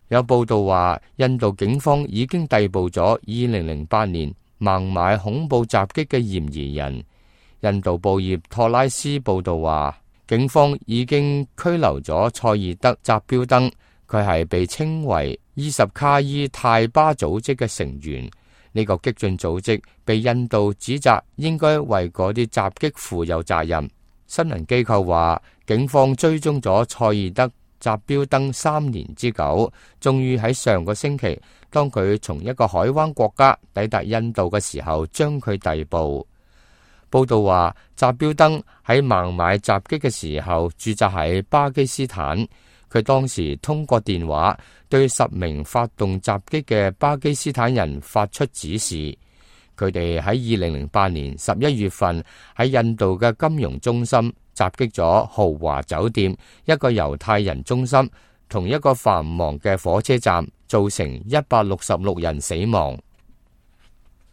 有報道話，印度警方已經逮捕咗2008年孟買恐怖襲擊嘅嫌疑人。印度報業托拉斯報道話，警方已經拘留咗塞爾德扎標登，佢係被稱為伊什卡伊泰巴組織嘅成員。呢個激進組織被印度指責應該為嗰啲襲擊負有責任。新聞機構話，警方追蹤咗塞爾德扎標登3年之久，終於喺上個星期，當佢從一個海灣國家抵達印度嘅時候，將佢逮捕。報道話，扎標登喺孟買襲擊嘅時候駐紮喺巴基斯坦，佢當時通過電話對10名發動襲擊嘅巴基斯坦人發出指示。佢哋喺2008年11月份喺印度嘅金融中心襲擊咗豪華酒店、一個猶太人中心同一個繁忙嘅火車站，造成166人死亡。